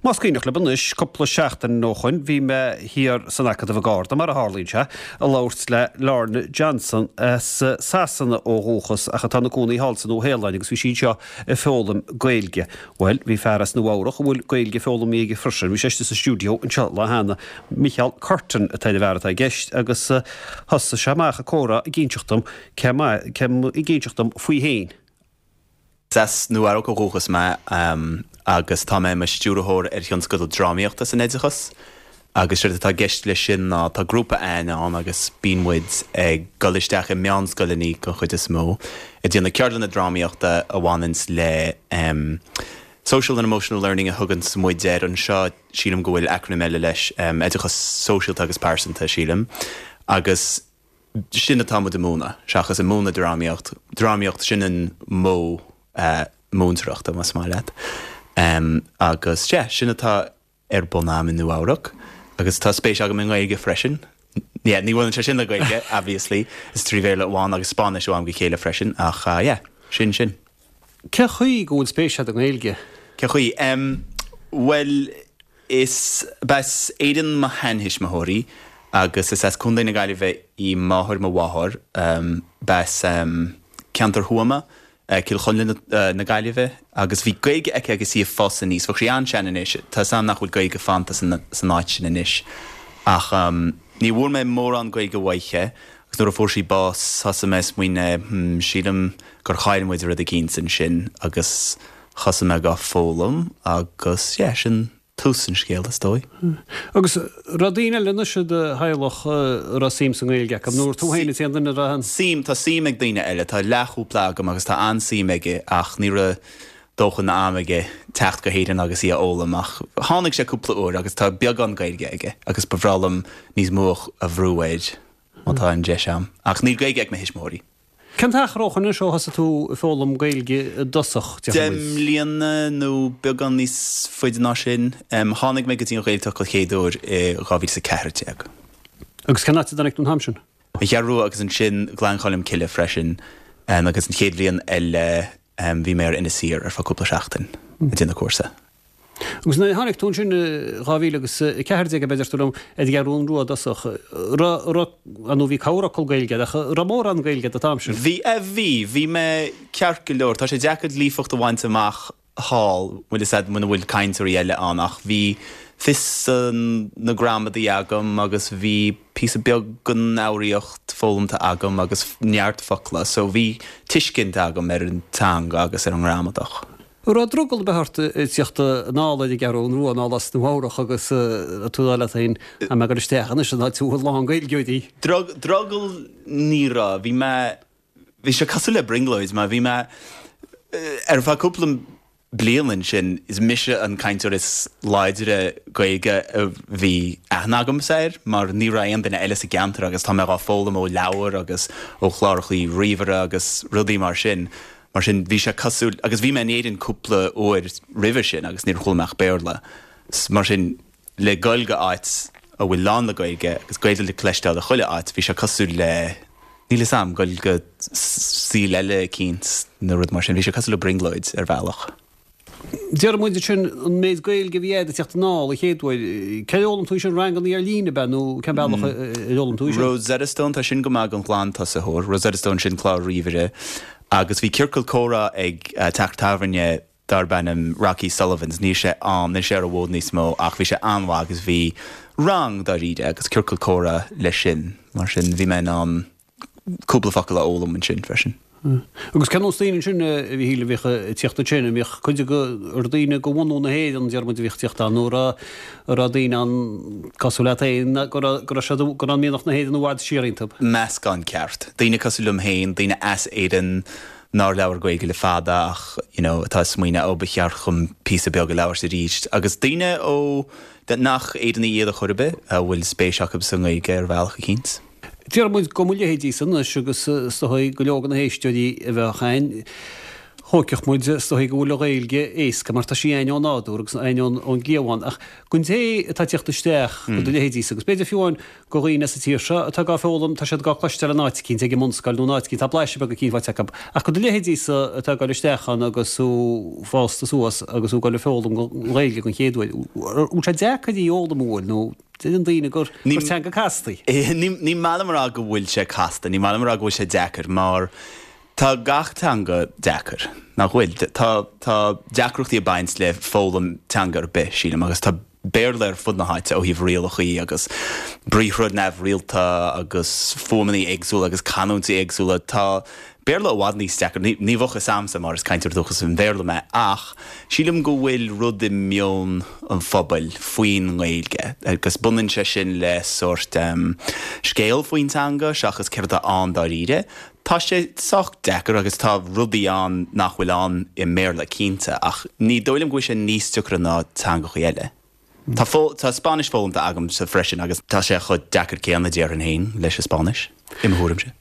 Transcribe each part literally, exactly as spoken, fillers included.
Más cuimhneach libh anois, cúpla seachtain ó shoin, bhí mé thiar san Acadamh i gCarna, mar a tharlaíonn sé, ag labhairt le Lorna Johnson as Sasana ó dhúchas ach atá ina cónaí thall sa Nua-Shéalainn agus bhí sí anseo ag foghlaim Gaeilge. Bhuel, bhí fear as Nua Eabhrach a bhfuil Gaeilge foghlamtha aige freisin, bhí sé istigh sa stiúideo anseo lá cheana. Micheál Curtin atá ar an bhfear atá i gceist agus thosaigh sé amach ag comhrá ag inseacht dom cé ag inseacht dom faoi fhéin. Is as Nua Eabhrac ó dhúchas mé agus tá mé i mo stiúrthóir ar thionscadal drámaíochta san oideachas agus séard atá i gceist leis sin ná tá grúpa againn ann agus bíonn muid ag dul isteach i meánscoileanna den chuid is mó ag déanamh ceardlanna drámaíochta a bhaineanns le social and emotional learning a thuganns muid air anseo, sílim go bhfuil acrainm eile leis, oideachas sóisialta agus pearsanta sílim agus sin atá muid ag múineadh seachas ag múineadh drámaíocht, drámaíocht sin an modh múinteoireachta más maith leat. Agus sea, sin atá ar bun a'm i Nua Eabhrac agus tá spéis agam i nGaeilge freisin. Yeah, ní bhaineann sé sin le Gaeilge, obviously, is trí Bhéarla amháin agus Spáinnis ó am go chéile freisin ach yeah, sin sin. Cén chaoi go bhfuil spéis agat i nGaeilge? Cén chaoi? Bhuel, is b'as Éirinn mo sheantuismitheoirí agus is as Contae na Gaillimhe í máthair mo mháthar. B'as ceantar Thuama, Cill Chonla na Gaillimhe, agus bhí Gaeilge aici agus í ag fás aníos. Bheadh sí an-sean anois. Tá 'fhios a'm nach bhfuil Gaeilge fanta san áit sin anois. Ach ní bhfuair mé mórán Gaeilge uaithi agus nuair a fuair sí bás thosaigh mé ag smaoineamh, hmm, sílim gur chaill muid rud eicínt ansin agus thosaigh mé dhá foghlaim agus yeah, sin tús an scéil, is dóigh. Agus raibh daoine eile anois i do theaghlach a raibh suim sa nGaeilge acu, nó tú féin an t-aon duine a raibh? Suim, tá suim ag daoine eile. Tá leathchúpla agam agus tá an-suim aige ach ní raibh dóthain ama aige teacht go hÉirinn agus í a fhoghlaim ach tháinig sé cúpla uair agus tá beagán Gaeilge aige agus ba bhreá liom níos mó a bhrú air má tá an deis a'm. Ach níl Gaeilge ag mo thuismitheoirí. Cén t-achar ó shoin anois ó thosaigh tú ag foghlaim Gaeilge i dtosach, déarfaidh muid? Deich mbliana nó beagán níos faide ná sin. Tháinig mé go dtí an Ghaeltacht den chéad uair i dhá mhíle is a ceathair déag. Agus cén áit a dtáinig tú an t-am sin? An Cheathrú Rua agus ansin Gleann Cholm Cille freisin. Agus an chéad bhliain eile bhí mé ar Inis Oírr ar feadh cúpla seachtain ag déanamh cúrsa. Agus nuair a tháinig tú ansin i dhá mhíle agus a ceathair déag, ab é a deir tú liom, ar an gCeathrú Rua i dtosach, raibh, raibh, ar ndóigh bhí corrfhocal Gaeilge agat, ach raibh mórán Gaeilge agat an t-am sin? Bhí, eh, bhí, bhí mé ceart go leor. Tá sé deacair líofacht a bhaint amach thall, bhfuil fhios a'd, muna bhfuil cainteoirí eile ann, ach bhí fios na gramadaí agam agus bhí píosa beag den fhoghraíocht foghlamtha agam agus neart focla, so bhí tuiscint agam ar an teanga agus ar an ngramadach. An raibh drogall ar bith ort ag tíocht anall ar an gCeathrú Rua anall as Nua Eabhrach agus tú ag rá leat féin, tá mé ag dul isteach anois in áit a bhfuil lán Gaeilgeoirí. Drogall ní raibh. Bhí mé, bhí sé cosúil le brionglóid mar bhí mé ar feadh cúpla bliain ansin, is mise an cainteoir is láidre Gaeilge a bhí aithne agamsa air mar ní raibh aon duine eile sa gceantar agus tá mé dhá foghlaim ó leabhair agus ó chlárachaí ríomhaire agus rudaí mar sin. Mar sin, bhí sé cosúil, agus bhí mé in Éirinn cúpla uair roimhe sin agus níor chuala mé ach Béarla. Mar sin, le goil go áit a bhfuil lán le Gaeilge agus Gaeilge le cloisteáil i chuile áit, bhí sé cosúil le, níl 'fhios a'm, goil go saol eile eicínt nó rud mar sin. Bhí sé cosúil le brionglóid ar bhealach. Déarfaidh muid ansin, an méid Gaeilge a bhí agat ag teacht anall an chéad uair, céard a d'fhoghlaim tú sin, ranganna ar líne ab ea nó cén bealach a d'fhoghlaim tú sin? Rosetta Stone, tá sin go maith don ghlantosaitheoir. Rosetta Stone, sin clár ríomhaire. Agus bhí ciorcal comhrá ag teach tábhairne darb ainm Rocky Sullivan's, níl sé ann, níl sé ar an bhfód níos mó ach bhí sé an-mhaith agus bhí rang dáiríre agus ciorcal comhrá leis sin, mar sin bhí mé in ann cúpla focal a fhoghlaim ansin freisin. Agus cén nós daoine ansin, a Mhíchíl, a bhíodh ag tíocht ansin? An mbíodh cuid de dhaoine de bhunú na hÉireann, deir muid, a bhíodh ag tíocht ann, nó an raibh daoine ann cosúil leat féin, go raibh go raibh siad, go raibh mianach na hÉireann i bhfad siar iontu? Meascán ceart. Daoine cosúil liom féin, daoine as Éirinn nár labhair Gaeilge le fada ach you know atá ag smaoineamh ó ba cheart dhom píosa beag a labhairt arís. Agus daoine ó nach Éireannaigh iad ar chor ar bith a bhfuil spéis acu sa nGaeilge ar bhealach eicínt. Déarfaidh muid go mo leithéidísa anois agus is dóigh go leor de na héisteoirí a bheadh ann, Thógfadh muid is dóigh go bhfuil an Ghaeilge éasca mar tá sí againn ó nádúr agus againn ón gcliabhán ach don té atá ag teacht isteach do do leithéidísa agus b'fhéidir fiú amháin do dhaoine sa tír seo atá dhá foghlaim tá siad dhá cloisteáil in áit eicínt ag an mbunscoil nó in áit eicínt tá blaiseadh beag eicínt faighte acu ach do do leithéidísa atá ag dul isteach ann agus thú fásta suas agus thú ag dul ag foghlaim an Ghaeilge den chéad uair bhfuil sé deacair í a fhoghlaim an bhfuil nó deireann daoine gur gur teanga casta í. Ní maith liom a rá go bhfuil sé casta, ní maith liom a rá go bhfuil sé deacair mar Tá gach teanga deacair, nach bhfuil? Tá tá deacrachtaí ag baint le foghlaim teanga ar bith, sílim, agus tá Béarla ar fud na háite ó thaobh rialachaí agus briathra neamhrialta agus fuaimeanna éagsúla agus canúintí éagsúla. Tá Béarla i bhfad níos deacra. Ní ní bheadh fhios a'msa mar is cainteoir dúchasach an Bhéarla mé ach sílim go bhfuil rud i meon an phobail faoin nGaeilge agus baineann sé sin le sórt scéal faoin teanga seachas céard atá ann dáiríre. Tá sé sách deacair agus tá rudaí ann nach bhfuil ann i mBéarla, cinnte, ach ní dóigh liom go bhfuil sé níos deacra ná teangachaí eile. Tá tá Spáinnis foghlamtha agamsa freisin agus tá sé chomh deacair céanna, déarfainn féin, leis an Spáinnis, i mo thuairimse.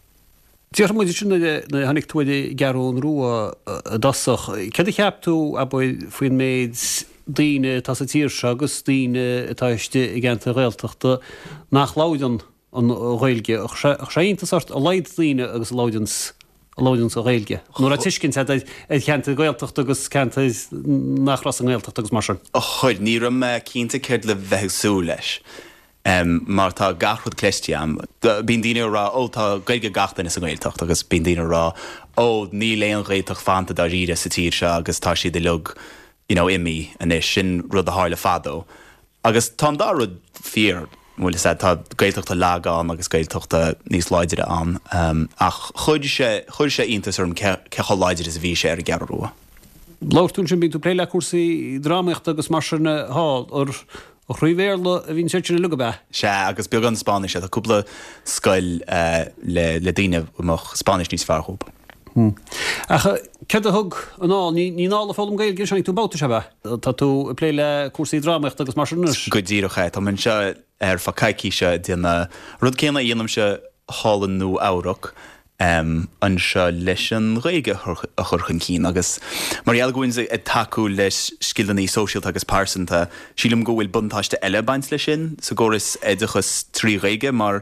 Déarfaidh muid ansin nuair a tháinig tú ar an gCeathrú Rua i dtosach, céard a cheap tú, abair, faoin méid daoine atá sa tír seo agus daoine atá istigh i gceantair Ghaeltachta nach labhrann an Ghaeilge. Chuir sé iontas ort a laghad daoine agus a labhranns a labhranns an Ghaeilge. Nó raibh tuiscint agat ar cheantair Ghaeltachta agus ceantair nach raibh sa nGaeltacht agus mar sin. Chuir. Ní raibh mé cinnte céard le bheith ag súil leis. Mar tá gach rud cloiste agam. Bíonn daoine ag rá, ó tá Gaeilge ag gach duine sa nGaeltacht agus bíonn daoine ag rá, ó níl aon Ghaeltacht fanta dáiríre sa tír seo agus tá siad uilig you know imithe anois. Sin rud a tharla fadó. Agus tá an dá rud fíor, bhfuil fhios a'd, tá Gaeltachta laga ann agus Gaeltachta níos láidre ann, ach chuir sé, chuir sé iontas orm cé, cé chomh láidir is a bhí sé ar an gCeathrú Rua. Labhair tú ansin, bíonn tú ag plé le cúrsaí drámaíochta agus mar sin thall, ar thrí Bhéarla a bhíonn siad sin uilig, ab ea? Sea, agus beagán Spáinnise, tá cúpla scoil le, le daoine a mbeadh Spáinnis níos fearr dhóibh. Ach céard a thug anall? Ní anall ag foghlaim Gaeilge anois, tháinig tú babhta, sea, ab ea? Tá tú ag plé le cúrsaí drámaíochta agus mar sin anois. Go díreach é. Tá mé anseo ar feadh coicíse ag déanamh rud céanna a dhéanaimse thall i Nua Eabhrac, anseo leis an Ghaeilge a chur chun cinn agus mar gheall go bhfuil ag tacú le scileanna sóisialta agus pearsanta, sílim go bhfuil buntáiste eile ag baint leis sin sa gcóras oideachais trí Ghaeilge mar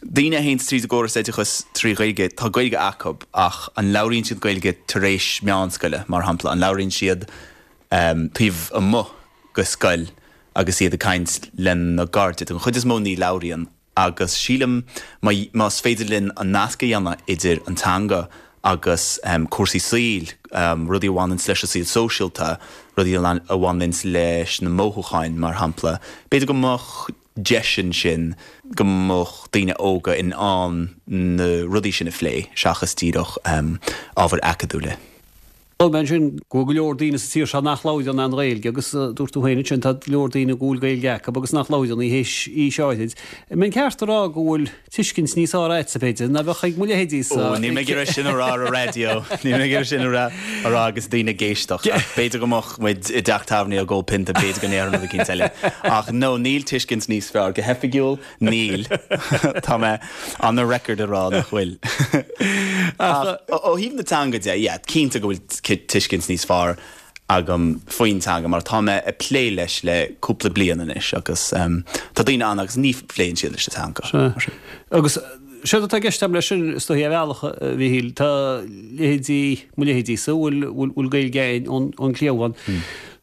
Daoine a théanns tríd an gcóras oideachais trí Ghaeilge, tá Gaeilge acu ach an labhraíonn siad Gaeilge tar éis meánscoile, mar shampla? An labhraíonn siad taobh amuigh de scoil agus iad ag caint lena gcairde? Den chuid is mó ní labhraíonn agus sílim más féidir linn an nasc a dhéanamh idir an teanga agus cúrsaí saoil, rudaí a bhaineanns leis an saol sóisialta, rudaí a bhaineanns leis na mothúcháin, mar shampla, b'fhéidir go mbeadh deis ansin go mbeadh daoine óga in ann na rudaí sin a phlé seachas díreach ábhair acadúla. Luaigh mé ansin go bhfuil go leor daoine sa tír seo nach labhrann an Ghaeilge agus dúirt tú féin ansin tá go leor daoine go bhfuil Gaeilge acu agus nach labhrann í théis aois áirid. An mbeinn ceart a rá go bhfuil tuiscint níos fearr agatsa b'fhéidir ná bheadh ag mo leithéidí-sa? Ó, níl mé ag iarraidh sin a rá ar an raidió. Níl mé ag iarraidh sin a rá a rá agus daoine ag éisteacht. Ach b'fhéidir go mbeadh muid i dteach tábhairne ag ól pionta, b'fhéidir go ndéarfainn rud eicínt eile. Ach no, níl tuiscint níos fearr. Go hoifigiúil, níl. Tá mé on the record a rá nach bhfuil. Ach ó thaobh na teanga de, yeah, cinnte go bhfuil tuiscint níos fearr agam faoin teanga mar tá mé ag plé leis le cúpla bliain anois agus tá daoine ann agus ní phléann siad leis an teanga. Sea. Agus séard atá i gceist agam leis sin, is dóichí, ar bhealach, a Mhichíl, tá leithéidí, mo leithéidí-sa, a bhfuil, bhfuil Gaeilge againn ón, ón gcliabhán,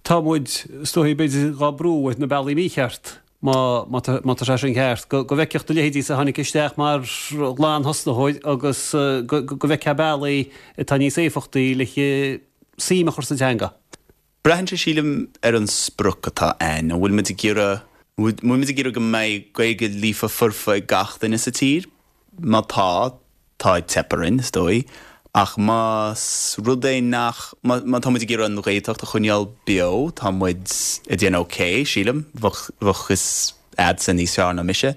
tá muid, is dóichí, b'fhéidir, dhá brú ar na bealaí mícheart, má, má tá, má tá sé sin ceart, go, go bhfeicfeadh do leithéidí-sa a tháinig isteach mar ghlanthosnaitheoir agus go, go bhfeicfeá bealaí atá níos éifeachtaí le suim a chur sa teanga. Braitheann sé, sílim, ar an sprioc atá a'ainn. An bhfuil muid ag iarraidh, an bhfuil muid ag iarraidh go mbeidh Gaeilge líofa foirfe ag gach duine sa tír? Má tá, tá ag teip orainn, is dóigh. Ach más rud é nach, má, má tá muid ag iarraidh an Ghaeltacht a choinneáil beo, tá muid ag déanamh ok, sílim. Bheadh, bheadh fhios a'dsa níos fearr ná mise.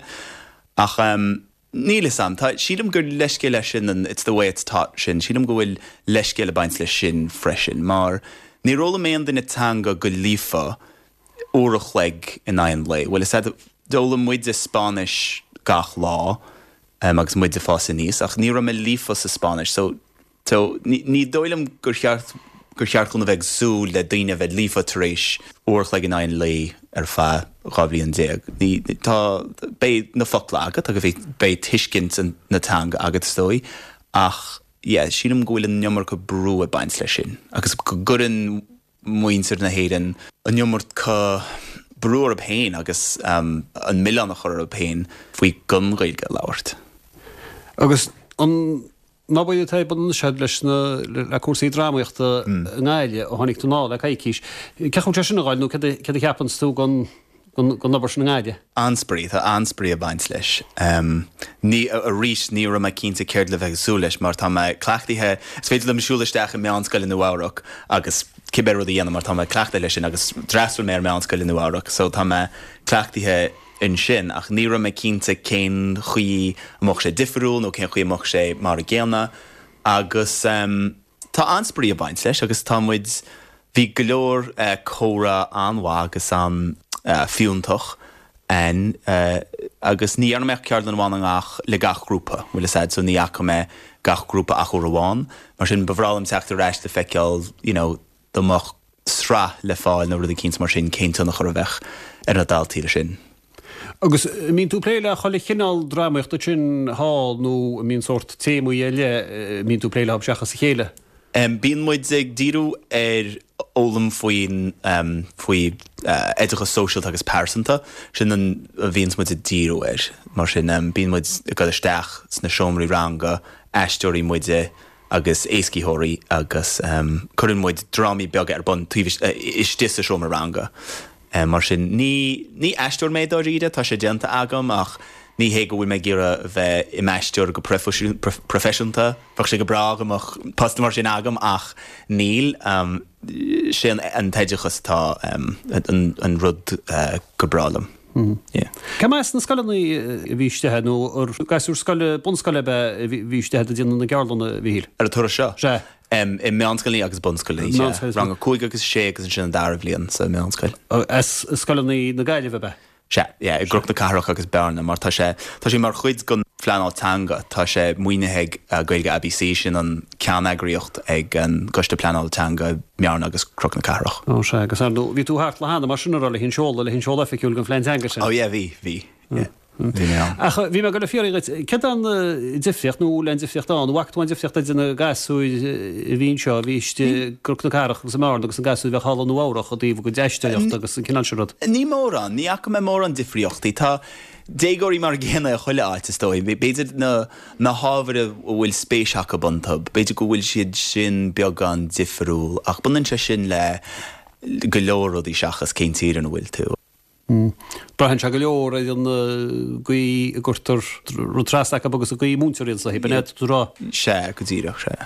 Ach ehm. Níl fhios a'm. Tá, sílim gur leithscéal é sin an it's the way it's taught sin, sílim go bhfuil leithscéal ag baint leis sin freisin mar níor fhoghlaim aon duine teanga go líofa uair a chloig in aghaidh an lae. Bhuel, is ea, d'fhoghlaim muide Spáinnis gach lá agus muid ag fás aníos ach ní raibh mé líofa sa Spáinnis so So ní, ní dóigh liom gur cheart gur cheart chun a bheith ag súil le daoine a bheith líofa tar éis uair a chloig in aghaidh an lae ar feadh dhá bhliain déag. Ní, tá, beidh na focla agat agus beidh, beidh tuiscint an, na teanga agat is dóigh, ach yeah, sílim go bhfuil an iomarca brú ag baint leis sin agus go gcuireann muintir na hÉireann an iomarca brú orthu féin agus um, an milleán a chur orthu féin faoi gan Ghaeilge a labhairt. Agus an obair atá ar bun anois leis na le cúrsaí drámaíochta i nGaillimh ó tháinig tú anall le coicís. Cén chaoi sé sin ag gabháil nó cad a cheapann tú den den obair sin i nGaillimh? An-spraoi, tá an-spraoi ag baint leis. Um, ní, arís ní raibh mé cinnte céard le bheith ag súil leis mar tá mé cleachtaithe, is féidir liom siúl isteach i meánscoil i Nua-Eabhrac agus cibé rud a dhéanamh mar tá mé cleachtaithe leis sin agus d'fhreastail mé ar meánscoil i Nua-Eabhrac, so tá mé cleachtaithe ansin ach ní raibh mé cinnte cén chaoi a mbeadh sé difriúil nó cén chaoi a mbeadh sé mar a gcéanna agus um, tá an-spraoi ag baint leis agus tá muid bhí go leor uh, comhrá an-mhaith agus an uh, fiúntach ann uh, agus ní dhearna mé ceardlann amháin gach le gach grúpa bhfuil a fhios agat so ní fhaca mé gach grúpa ach uair amháin mar sin ba bhreá liom teacht ar ais le feiceáil you know, dá mbeadh sraith le fáil nó rud éicint mar sin cén tionchar a bheadh ar na daltaí le sin. Agus mbíonn tú ag plé le chuile chineál drámaíochta sin thall nó mbíonn sórt téamaí eile mbíonn tú ag plé leo seachas a chéile? Um, bíonn muid ag díriú ar fhoghlaim faoin um, faoi uh, oideachas sóisialta agus pearsanta sin an a bhíonn muid ag díriú air mar sin um, bíonn muid ag dul isteach sna seomraí ranga aisteoirí muide agus éascaitheoirí agus um, cuireann muid drámaí beaga ar bun taobh uh, istigh sa seomra ranga. Um, mar sin ní, ní aisteoir mé dáiríre tá sé déanta agam ach ní hé go bhfuil mé ag iarraidh bheith i m'aisteoir go proifisiúnta, Bheadh sé go breá go mbeadh post mar sin agam ach níl um, sé an, an t-oideachas tá um, an, an rud uh, go breá liom. Mm. Yeah. Cé as na scoileanna a bhí istigh nó ar gasúir scoile bunscoile a bhí istigh ag déanamh na gceardlanna Mhíchíl? Ar an turas seo? Sé. Um, i meánscoileanna agus bunscoileanna Meánscoil- rang a cúig agus sé agus ansin an dara bhliain sa meánscoil. As scoileanna na Gaillimhe be? Sé, yeah, i gCnoc na Cathrach agus Bearna, mar tá sé tá sé mar chuid den phleanáil teanga, tá sé maoinithe ag uh, Gaeilge ABC sin an ceanneagraíocht ag an gCoiste Pleanála Teanga mBearna agus Cnoc na Cathrach. Ó sé agus ar bhí tú thart le hana mar sin le hin seola le hin seola oifigiúil den phlean teanga sin. Ó yeah, bhí, bhí. Yeah. Bhí mé ann. Ach bhí mé go le fiafraí díot céard an difríocht nó le difríocht an bhfaca tú an difríocht idir na gasúir a bhí anseo a bhí istigh i gCnoc na Cathrach agus i mBearna agus an gasúir bheith thall i Nua-Eabhrac i dtaobh go aisteoireacht agus an cineál sin rud. Ní mórán, ní fhaca mé mórán difríochtaí Tá déagóirí mar a gcéanna i chuile áit is dóigh, B'fhéidir na na hábhair a bhfuil spéis acu iontu, b'fhéidir go bhfuil siad sin beagán difriúil, ach baineann sé sin le go leor rudaí seachas cén tír ina bhfuil tú. Braitheann sé go leor ar an gcaoi a gcuirtear rud trasna acu agus an gcaoi múintear iad sa b'in tú rá. Sé go díreach sé.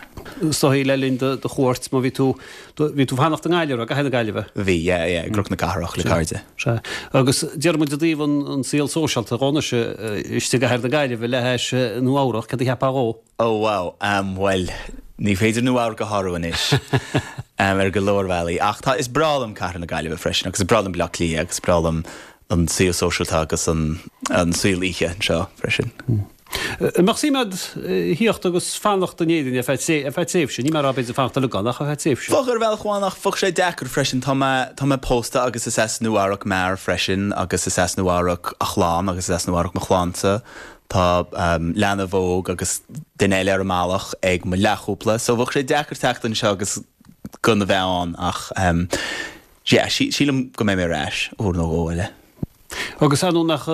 Sohí le linn do chuairt má bhí tú bhí tú fanacht i nGaillimh go na Gaillimhe. Bhí i gCnoc na Cathrach le cairde. Sé agus deir muid i dtaobh an an saol sóisialta dhóna se istigh i gcathair na Gaillimhe le hais Nua-Eabhrac cad a cheapfá dhó. Oh wow, um, well, ní féidir Nua-Eabhrac a shárú anois um, ar go leor bealaí. Ach tá is breá liom cathair na Gaillimhe freisin, agus is breá liom Baile Átha Cliath agus breá liom an saol sóisialta agus an, an saol oíche anseo freisin. Mm. Mbeadh suim agat theacht agus fanacht in Éirinn ar feadh tréimhse, ní mar b'fhéidir fanacht le gan ach ar feadh tréimhse. Bheadh ar bhealach amháin ach bheadh sé deacair freisin tá mé tá mé pósta agus is as Nua-Eabhrac m'fhear freisin agus is as Nua-Eabhrac a chlann agus is as Nua-Eabhrac mo chlannsa. Tá um, leanbh óg agus duine eile ar an mbealach ag mo leathchúpla, so bheadh sé deacair teacht anseo agus gan a bheith ann ach um, yeah, sí, sílim go mbeidh mé ar ais uair nó dhó eile. Agus anú nach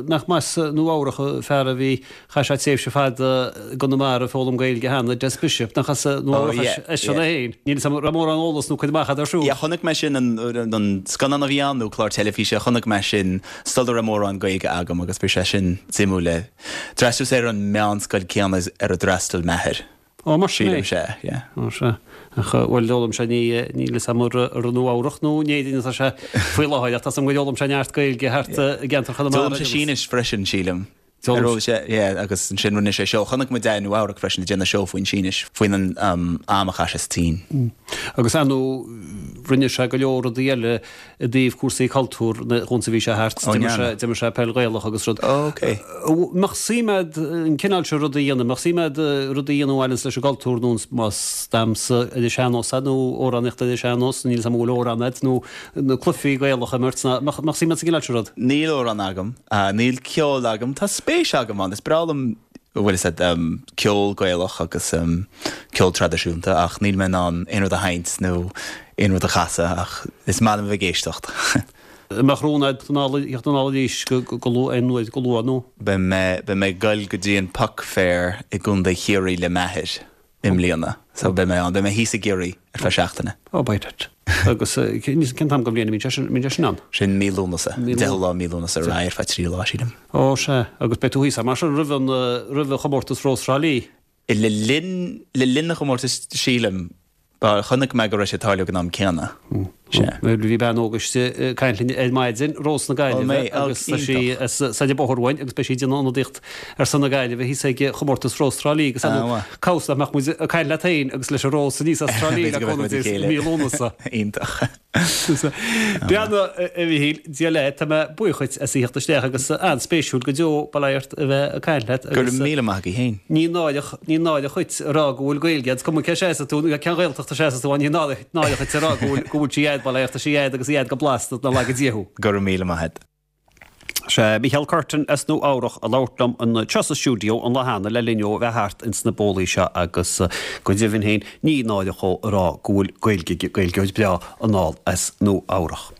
nach mas Nua-Eabhrac fear a bhí chaith sé tréimhse fada i gConamara ag foghlaim Gaeilge cheana Des Bishop nach as Nua-Eabhrac eisean é féin. Níl a raibh mórán eolas nó cuid amach ar siúl. Yeah, chonaic mé sin an, an scannán a bhí ann nó clár teilifíse, chonaic mé sin sula raibh mórán Gaeilge agam agus bhí sé sin suimiúil. D'fhreastail sé ar an meánscoil céanna ar a d'fhreastail m'athair. Ó mar sin Sílim sé, yeah. Ó sé. Ach bhuel d'fhoghlaim sé ní níl a fhios agam ar Nua-Eabhrac nó in Éirinn atá sé faoi láthair ach tá am go d'fhoghlaim sé neart Gaeilge thart i gceantar Chonamara. D'fhoghlaim sé Sínis freisin sílim. Ar raibh sé, yeah, agus ansin rinne sé seó. Chonaic muid é i Nua Eabhrac freisin ag déanamh seó faoin Sínis, faoin an am a chaith sé sa tSín. Agus ar ndóigh rinne sé go leor rudaí eile i dtaobh cúrsaí cultúir dhúinn sa bhí sé thart, d'imir sé peil Ghaelach agus rud. Ok. Mbeadh suim a'd an cineál seo rudaí a dhéanamh, mbeadh suim a'd rudaí a dhéanamh a bhaineanns leis an gcultúr nó más damhsa ar an sean-nós é nó amhránaíocht ar an sean-nós, níl 'fhios a'm an bhfuil amhrán a'd nó na cluichí Gaelacha a imirt, mbeadh suim a'd sa gcineál seo rud? Níl amhrán agam, níl ceol agam, tá spéis agam ann, is breá liom bhfuil fhios a'd ceol Gaelach agus ceol traidisiúnta ach níl mé in ann aon rud a sheinnt nó aon rud a chasadh ach is maith liom a bheith ag éisteacht. An mbeadh rún a'd theacht anall arís go luath aon uair go luath nó? Beidh mé beidh mé ag goil go dtí an Puck Fair i gContae Chiarraí le m'athair i mbliana so beidh mé ann, beidh mé thíos i gCiarraí ar feadh seachtaine. Ó beidh duit. Agus cén t-am den bhliain a mbíonn sé sin, mbíonn sé sin ann? Sin mí Lúnasa, deichiú lá mí Lúnasa ar aghaidh ar feadh trí lá, sílim. Ó sea, agus beidh tú thíos mar sin roimh an, roimh an chomórtas Rós Thrá Lí? Le linn, le linn an chomórtais sílim. Ba, chonaic mé go raibh sé ag tarlú ag an am céanna. Sea. Bhí bean óg istigh ag caint linn ar maidin, Rós na Gaillimhe, agus tá sí as Said Bóthar uainn agus beidh sí ag déanamh ionadaíocht ar son na Gaillimhe thíos ag chomórtas Rós Trá Lí agus cá bhfios nach mbeadh muid ag caint leat féin agus leis an Rós aníos as Trá Lí le cúnamh Dé i mí Lúnasa. Iontach. Breathnaigh, a Mhichíl, Dia leat, tá mé buíoch dhuit as a theacht isteach agus an-spéisiúil go deo, bail ó Dhia ort, a bheith ag caint leat agus. Go raibh míle maith agat féin. Ní náireach, ní náireach dhuit a rá go bhfuil Gaeilge agat, is cuma cé seasamh tú, nó cén Ghaeltacht a seasamh tú, ní náireach dhuit a rá go bhfuil, go bhfuil sí a'd, bail ó Dhia ort, tá sí a'd agus í a'd go blasta, ná laga Dia thú. Go raibh míle maith agat. Sé Micheál Curtin as Nua Eabhrach a labhairt liom anseo sa stiúideo an lá cheana le linn dó a bheith thart ins na bólaí seo agus go deimhin féin ní náireach dhó a rá go bhfuil Gaeilge aige, Gaeilgeoir breá anall as Nua Eabhrach.